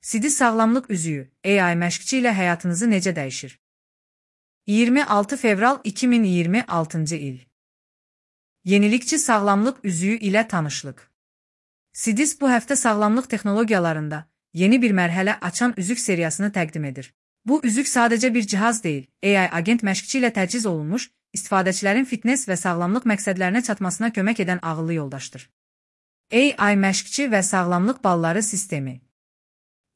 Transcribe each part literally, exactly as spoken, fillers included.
Sidis sağlamlıq üzüyü, A I məşqçi ilə həyatınızı necə dəyişir? iyirmi altı fevral iki min iyirmi altıncı il. Yenilikçi sağlamlıq üzüyü ilə tanışlıq. Sidis bu həftə sağlamlıq texnologiyalarında yeni bir mərhələ açan üzük seriyasını təqdim edir. Bu üzük sadəcə bir cihaz deyil, A I agent məşqçi ilə təchiz olunmuş, istifadəçilərin fitness və sağlamlıq məqsədlərinə çatmasına kömək edən ağıllı yoldaşdır. A I məşqçi və sağlamlıq balları sistemi.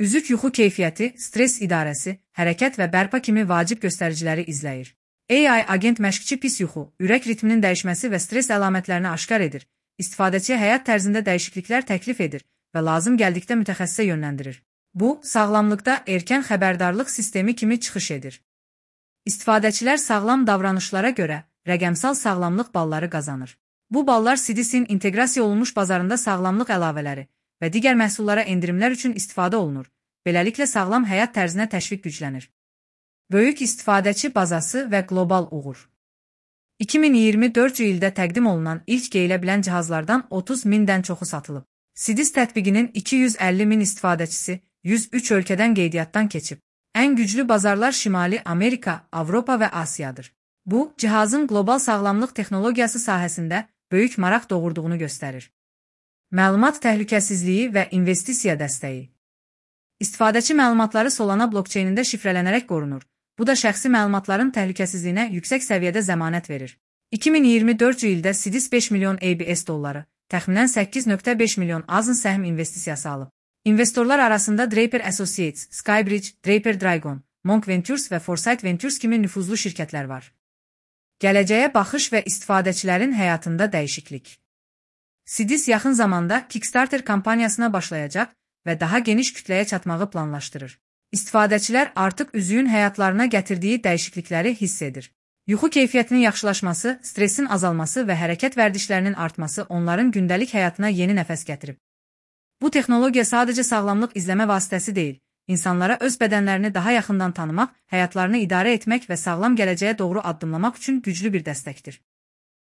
Üzük yuxu keyfiyyəti, stres idarəsi, hərəkət və bərpa kimi vacib göstəriciləri izləyir. A I agent məşqçi pis yuxu, ürək ritminin dəyişməsi və stres əlamətlərini aşkar edir, istifadəçiyə həyat tərzində dəyişikliklər təklif edir və lazım gəldikdə mütəxəssisə yönləndirir. Bu, sağlamlıqda erkən xəbərdarlıq sistemi kimi çıxış edir. İstifadəçilər sağlam davranışlara görə rəqəmsal sağlamlıq balları qazanır. Bu ballar Sidisin inteqrasiya olunmuş bazarında sağlamlıq əlavələri və digər məhsullara endirimlər üçün istifadə olunur. Beləliklə sağlam həyat tərzinə təşviq güclənir. Böyük istifadəçi bazası və qlobal uğur. iki min iyirmi dördüncü ildə təqdim olunan ilk geyilə bilən cihazlardan otuz mindən çoxu satılıb. Sidis tətbiqinin iki yüz əlli min istifadəçisi yüz üç ölkədən qeydiyyatdan keçib. Ən güclü bazarlar Şimali Amerika, Avropa və Asiyadır. Bu, cihazın qlobal sağlamlıq texnologiyası sahəsində böyük maraq doğurduğunu göstərir. Məlumat təhlükəsizliyi və investisiya dəstəyi. İstifadəçi məlumatları Solana blokçeynində şifrələnərək qorunur. Bu da şəxsi məlumatların təhlükəsizliyinə yüksək səviyyədə zəmanət verir. iki min iyirmi dördüncü ildə Sidis beş milyon A B S dolları, təxminən səkkiz nöqtə beş milyon azın səhm investisiyası alıb. İnvestorlar arasında Draper Associates, Skybridge, Draper Dragon, Monk Ventures və Foresight Ventures kimi nüfuzlu şirkətlər var. Gələcəyə baxış və istifadəçilərin həyatında dəyişiklik. Sidis yaxın zamanda Kickstarter kampaniyasına başlayacaq və daha geniş kütləyə çatmağı planlaşdırır. İstifadəçilər artıq üzüyün həyatlarına gətirdiyi dəyişiklikləri hiss edir. Yuxu keyfiyyətinin yaxşılaşması, stresin azalması və hərəkət vərdişlərinin artması onların gündəlik həyatına yeni nəfəs gətirib. Bu texnologiya sadəcə sağlamlıq izləmə vasitəsi deyil, insanlara öz bədənlərini daha yaxından tanımaq, həyatlarını idarə etmək və sağlam gələcəyə doğru addımlamaq üçün güclü bir dəstəkdir.